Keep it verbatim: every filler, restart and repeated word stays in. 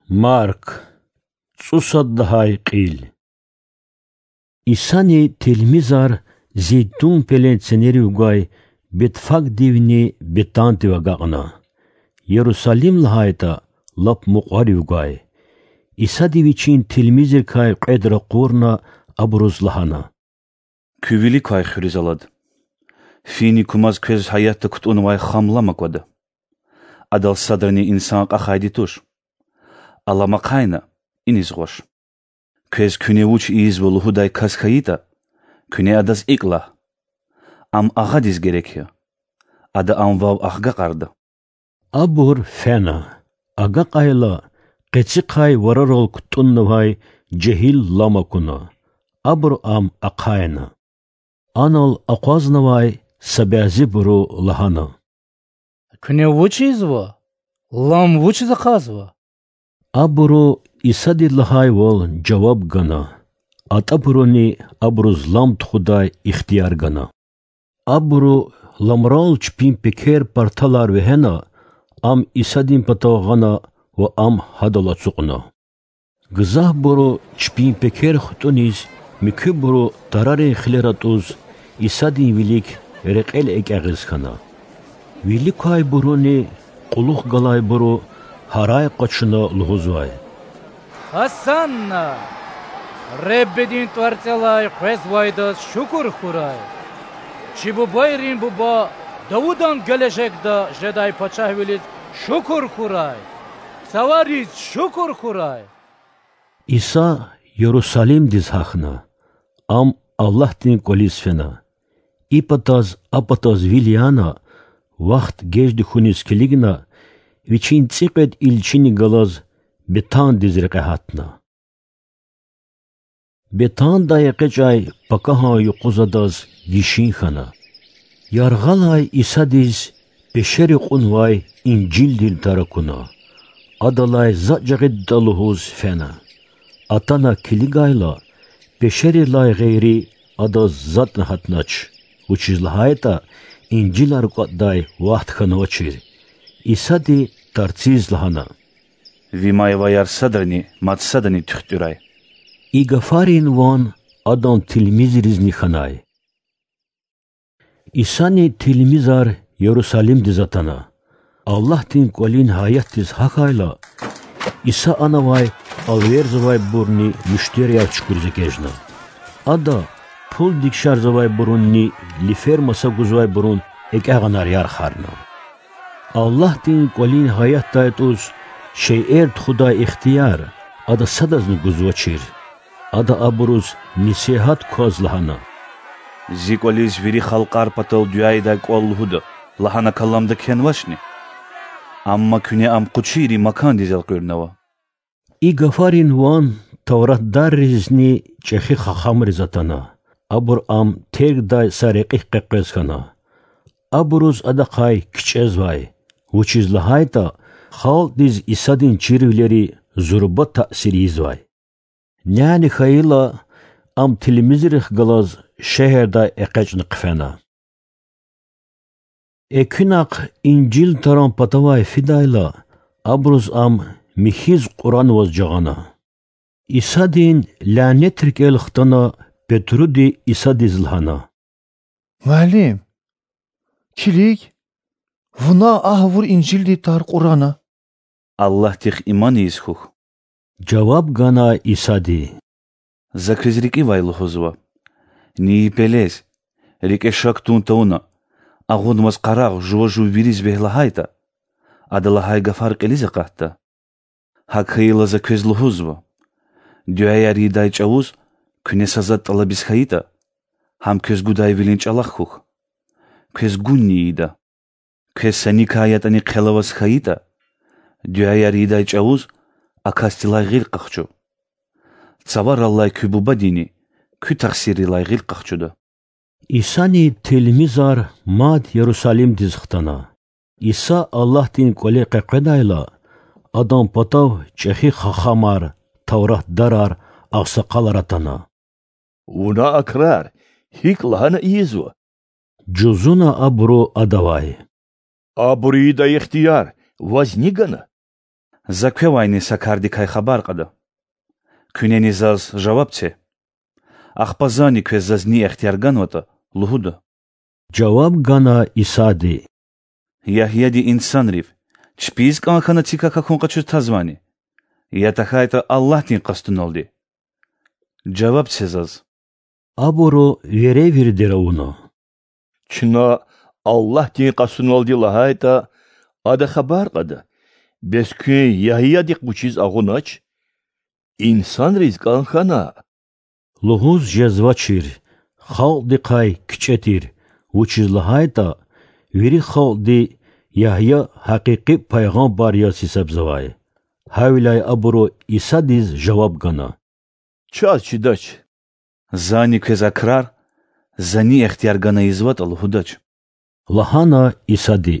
Марк, цӀусад лагьай кьил. Исани тилмизар Зейтун пелен ценерив гвай Бетфагдивни Бетандив агакьна, Ярусалим лагьайтӀа, лап мукьварив гвай. Исади Вичин тилмизрикай кьвед ракъурна, абуруз лагьана: Куьн вилик квай хуьруьз алад. Фини кумаз квез гьаятда кутӀунвай хам лам аквада. Адал садрани инсан кьахайди туш. Алам ахъайна, иниз гъваш. Квез куьне вуч ийизва лугьудай кас хьайитӀа, куьне адаз икӀ лагь: Ам агъадиз герек я. Ада ам вав ахгакьарда. Абур фена. Агакьайла, къецихъай варарал кутӀуннавай жегьил лам акуна. Абуру ам ахъайна. Анал акъвазнавай са бязибуру лагьана: Куьне вуч ийизва? Лам вучиз ахъайзава? Абуру Исади лагьайвал жаваб гана, атӀабуруни абуруз лам тухудай ихтияр гана. Абуру ламрал чпин пекер-парталар вегьена, ам Исадин патав гъана ва ам гьадал ацукьна. Гзафбуру чпин пекер хтӀуниз, муькуьбуру тарарин хилер атӀуз, Исадин вилик рекьел экӀягъиз хьана. Вилик квайбуруни кьулухъ галайбуру гьарай къачуна лугьузвай: Гьасанна! Реббидин ТӀварцӀелай къвезвайдаз шукур хьурай! Чи бубайрин Буба Давудан гележегда жедай пачагьвилиз шукур хьурай! Цавариз шукур хьурай! Иса Ярусалимдиз гьахьна. Ам Аллагьдин кӀвализ фена. И патаз, а патаз вил яна, вахт гежди хьуниз килигна, Вичин цӀикьвед илчини галаз Бетандиз рекье гьатна. Бетандай экъечӀай пакагьан юкъуз адаз гишин хьана. Яргъалай Исадиз пешери кьунвай инжилдин тар акуна. Адалай затӀ жагъидатӀа лугьуз фена. Атана килигайла, пешерилай гъейри адаз затӀни гьатнач, вучиз лагьайтӀа инжилар кӀватӀдай вахт хьанвачир. Исади тарциз лагьана: Ви майваяр садрани мад садани туьхтӀуьрай. И гафарин ван Адан тилмизризни хьанай. Исани тилмизар Ярусалимдиз атана. Аллагьдин кӀвалин гьаятдиз гьахьайла, Иса анавай алверзавайбурни муьштерияр чукуриз эгечӀна. Ада пул дегишарзавайбурунни лифер маса гузвайбурун экӀягъанар ярхарна. Аллагьдин кӀвалин гьаятдай тӀуз шейэр тухудай ихтияр Ада садазни гузвачир. Ада абуруз несигьат кваз лагьана: Зи кӀвализ вири халкьар патал дуьа ийидай кӀвал лугьуда лагьана каламда кхьенвачни? Амма куьне ам къучийрин макандиз элкъуьрнава. И гафарин ван тавратдарризни чӀехи хахамриз атана. Абур ам тергдай са рекьихъ къекъвез хьана. Абуруз Адахъай кичӀезвай, вучиз лагьайтӀа халкьдиз Исадин чирвилери зурба таъсир ийизвай. Няни хьайила, ам тилмизрихъ галаз шегьердай экъечӀна хъфена. Экуьнахъ инжил таран патавай фидайла, абуруз ам михьиз кьуранваз жагъана. Исадин лянет рикӀел хтана Петруди Исадиз лагьана: Муаллим, килиг, вуна а гъавурда инжилдин тар кьурана. Аллагьдихъ иман ийиз хьухь,— жаваб гана Исади. За квез рикӀивай лугьузва: ни и пелез, рикӀе шак тун тавуна, агъунваз къарагъ жува-жув вириз вегь лагьайтӀа, ада лагьай гафар кьилиз акъатда. ГьакӀ хьайила, За квез лугьузва: дуьаяр ийидай чӀавуз куьне са затӀ тӀалабиз хьайитӀа, гьам квез гудайвилин чӀалахъ хьухь, квез гунни ийида. Квез са никай ятӀани хъел аваз хьайитӀа, дуьаяр ийидай чӀавуз а касдилай гъил къахчу. Цавараллай куь Бубадини куь тахсиррилай гъил къахчуда. Исани тилмизар мад Ярусалимдиз хтана. Иса Аллагьдин кӀвале къекъведайла, Адан патав чӀехи хахамар, тавратдарар, агъсакъалар атана. Вуна а крар гьикӀ лагьана ийизва? жузуна абуру Адавай. Абур ийидай ихтияр ваз ни гана? За квевайни са кардикай хабар кьада. Куьнени заз жаваб це. Ахпа зани квез заз ни ихтияр ганватӀа, лугьуда. Жаваб гана Исади: Ягьяди инсанрив чпиз кӀан хьана цикак акун къачуз тазвани? Я тахьайтӀа Аллагьдин къастуналди? Жаваб це заз. Абуру веревирдер авуна: Чна Аллагьдин къастуналди лагьайтӀа, Ада хабар кьада, бес куьн Ягьядихъ вучиз агъунач? Инсанриз кӀан хьана? Лугьуз жезвачир, халкьдихъай кичӀе тир, вучиз лагьайтӀа вири халкьди Ягья гьакъикъи пайгъамбар яз гьисабзавай. Гьавиляй абуру Исадиз жаваб гана: Чаз чидач. Зани квез а крар, за ни ихтияр гана ийизватӀа, лугьудач. Лагьана Исади: